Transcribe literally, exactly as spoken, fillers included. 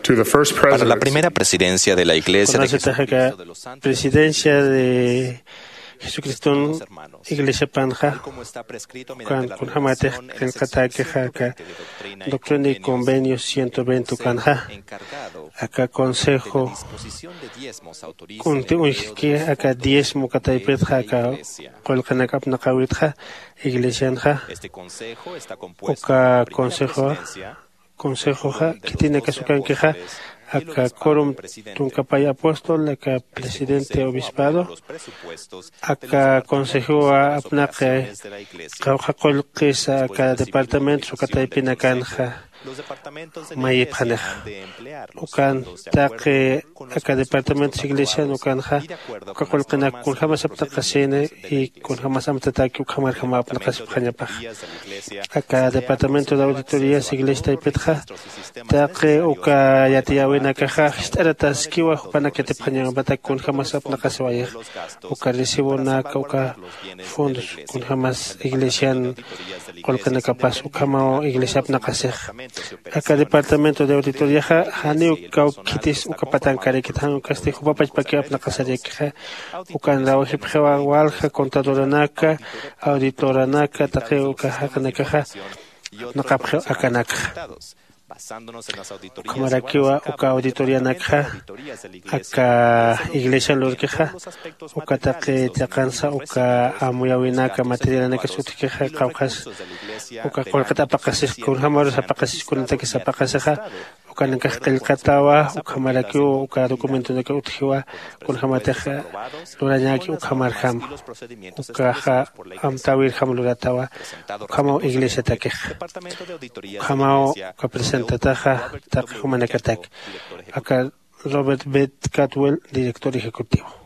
To the first para la president primera presidencia de la iglesia de Kunasatix aka presidencia de Jesucriston iglesiapanxa, ukan kunjämatix qillqatäkixa aka Doctrina y Convenios ciento veinte ukanxa, aka consejo kunti uñjtki aka diezmo uka taypitxa aka qullqinak apnaqäwitxa iglesianxa. Uka consejoxa, consejoxa khitinakas ukankixa aka quorum tunkapay apóstol, aka presidente obispado, aka consejowa apnaqi qawqha qullqisa aka departamentos uka taypinakanxa mayipxanixa. Ukan taqi aka departamentos iglesian ukanxa uka qullqinak kunjämas apnaqasini y kunjämas amtataki ukhamarjama apnaqasipxañapaxa. Aka departamento de auditorías iglesia taypitxa taqi uka yatiyäwinakaxa jist'arataskiwa jupanak yatipxañäwipatak kunjämas apnaqasiwayixa. Uka recibonaka uka fondos kunjämas iglesian qullqinakapas ukhamaw iglesia apnaqasixa. Aka departamento de auditoriaxa janiw kawkhitis uka patankarakit jan ukasti jupapachpakiw apnaqasarakixa. Ukan rawajipxiwa walja contadoranaka, auditoranaka taqi uka jaqinakaxa apnaqapxiw akanakxa. Ukhamarakiwa uka auditorianakxa aka iglesian lurkixa uka taqi chiqansa uka amuyäwinaka materialanakas utjkixa qawqhas uka qullqit apaqasis kunjämarus apaqasis kunatakis apaqasixa ukanakax qillqatawa. Ukhamarakiw uka documentonaka utjiwa kunjämatix lurañäki ukhamarjama. Ukaxa amtäwirjam luratawa ukhamaw iglesiatakixa. Ukhamaw uka presentataxa taqi jumanakatak aka Robert Beth Cadwell director ejecutivo.